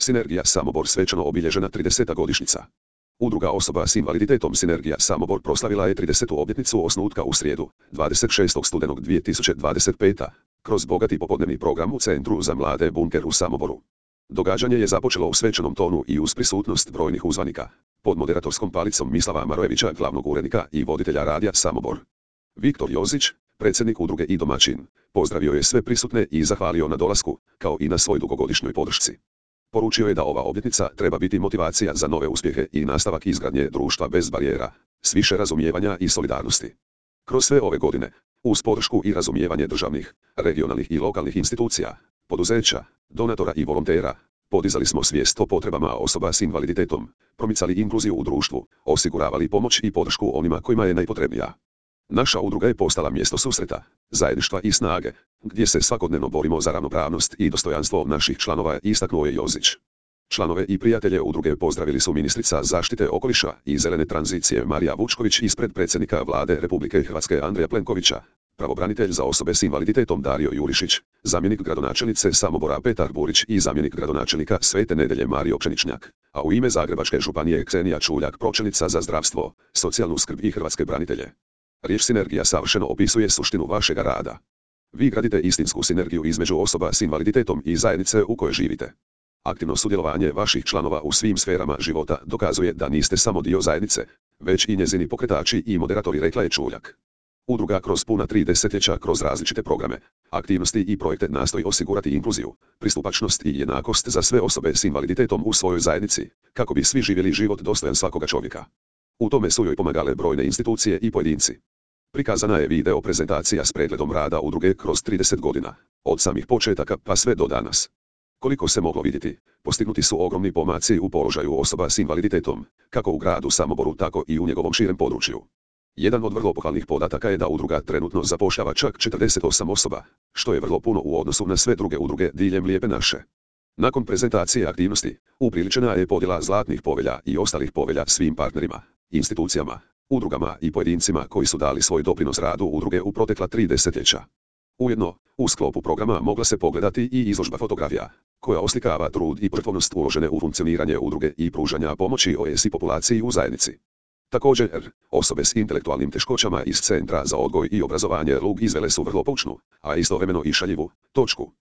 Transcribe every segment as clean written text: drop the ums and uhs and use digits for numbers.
Sinergija Samobor svečano obilježena 30. godišnjica. Udruga osoba s invaliditetom Sinergija Samobor proslavila je 30. obljetnicu osnutka u srijedu, 26. studenog 2025. kroz bogati popodnevni program u Centru za mlade Bunker u Samoboru. Događanje je započelo u svečanom tonu i uz prisutnost brojnih uzvanika, pod moderatorskom palicom Mislava Marojevića, glavnog urednika i voditelja radija Samobor. Viktor Jozić, predsjednik udruge i domaćin, pozdravio je sve prisutne i zahvalio na dolasku, kao i na svoj dugogodišnjoj podršci. Poručio je da ova obljetnica treba biti motivacija za nove uspjehe i nastavak izgradnje društva bez barijera, s više razumijevanja i solidarnosti. Kroz sve ove godine, uz podršku i razumijevanje državnih, regionalnih i lokalnih institucija, poduzeća, donatora i volontera, podizali smo svijest o potrebama osoba s invaliditetom, promicali inkluziju u društvu, osiguravali pomoć i podršku onima kojima je najpotrebnija. Naša udruga je postala mjesto susreta, zajedništva i snage, gdje se svakodnevno borimo za ravnopravnost i dostojanstvo naših članova, istaknuo je Jozić. Članove i prijatelje udruge pozdravili su ministrica zaštite okoliša i zelene tranzicije Marija Vučković ispred predsjednika Vlade Republike Hrvatske Andreja Plenkovića, pravobranitelj za osobe s invaliditetom Dario Jurišić, zamjenik gradonačelnice Samobora Petar Burić i zamjenik gradonačelnika Svete Nedelje Mario Pšeničnjak, a u ime Zagrebačke županije Ksenija Čuljak, pročelnica za zdravstvo, socijalnu skrb i hrvatske branitelje. Riječ sinergija savršeno opisuje suštinu vašega rada. Vi gradite istinsku sinergiju između osoba s invaliditetom i zajednice u kojoj živite. Aktivno sudjelovanje vaših članova u svim sferama života dokazuje da niste samo dio zajednice, već i njezini pokretači i moderatori, rekla je Čuljak. Udruga kroz puna 3 desetljeća kroz različite programe, aktivnosti i projekte nastoji osigurati inkluziju, pristupačnost i jednakost za sve osobe s invaliditetom u svojoj zajednici, kako bi svi živjeli život dostojan svakoga čovjeka. U tome su joj pomagale brojne institucije i pojedinci. Prikazana je video prezentacija s pregledom rada udruge kroz 30 godina, od samih početaka pa sve do danas. Koliko se moglo vidjeti, postignuti su ogromni pomaci u položaju osoba s invaliditetom, kako u gradu Samoboru tako i u njegovom širem području. Jedan od vrlo pohvalnih podataka je da udruga trenutno zapošljava čak 48 osoba, što je vrlo puno u odnosu na sve druge udruge diljem Lijepe naše. Nakon prezentacije aktivnosti, upriličena je podjela zlatnih povelja i ostalih povelja svim partnerima, institucijama, udrugama i pojedincima koji su dali svoj doprinos radu udruge u protekla 3 desetljeća. Ujedno, u sklopu programa mogla se pogledati i izložba fotografija, koja oslikava trud i požrtvovnost uložene u funkcioniranje udruge i pružanja pomoći OSI populaciji u zajednici. Također, osobe s intelektualnim teškoćama iz Centra za odgoj i obrazovanje LUG izvele su vrlo poučnu, a istovremeno i šaljivu točku.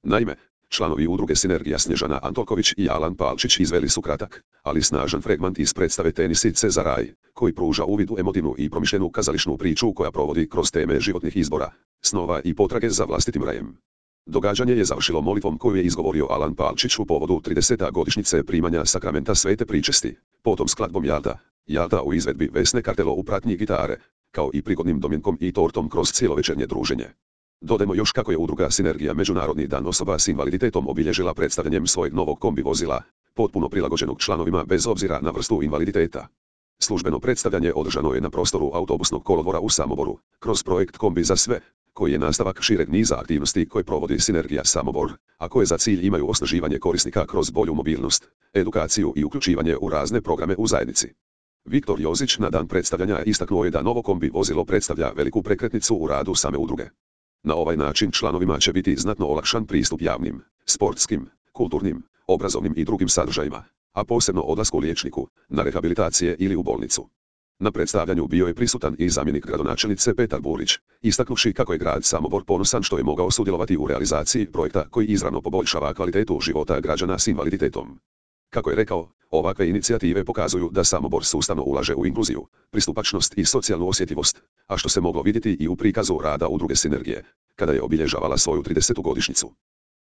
Naime, članovi udruge Sinergija Snježana Antolković i Alan Palčić izveli su kratak, ali snažan fragment iz predstave Tenisice za raj, koji pruža uvid u emotivnu i promišljenu kazališnu priču koja provodi kroz teme životnih izbora, snova i potrage za vlastitim rajem. Događanje je završilo molitvom koju je izgovorio Alan Palčić u povodu 30. godišnjice primanja sakramenta Svete pričesti, potom skladbom Jalta u izvedbi Vesne Kartelo u pratnji gitare, kao i prigodnim domjenkom i tortom kroz cijelovečernje druženje. Dodajmo još kako je udruga Sinergija Međunarodni dan osoba s invaliditetom obilježila predstavljanjem svojeg novog kombi vozila, potpuno prilagođenog članovima bez obzira na vrstu invaliditeta. Službeno predstavljanje održano je na prostoru autobusnog kolodvora u Samoboru, kroz projekt Kombi za sve, koji je nastavak šireg niza aktivnosti koje provodi Sinergija Samobor, a koje za cilj imaju osnaživanje korisnika kroz bolju mobilnost, edukaciju i uključivanje u razne programe u zajednici. Viktor Jozić na dan predstavljanja istaknuo je da novo kombi vozilo predstavlja veliku prekretnicu u radu same udruge. Na ovaj način članovima će biti znatno olakšan pristup javnim, sportskim, kulturnim, obrazovnim i drugim sadržajima, a posebno odlasku liječniku, na rehabilitacije ili u bolnicu. Na predstavljanju bio je prisutan i zamjenik gradonačelnice Petar Burić, istaknuvši kako je grad Samobor ponosan što je mogao sudjelovati u realizaciji projekta koji izravno poboljšava kvalitetu života građana s invaliditetom. Kako je rekao, ovakve inicijative pokazuju da Samobor sustavno ulaže u inkluziju, pristupačnost i socijalnu osjetljivost, a što se moglo vidjeti i u prikazu rada udruge Sinergije, kada je obilježavala svoju 30. godišnjicu.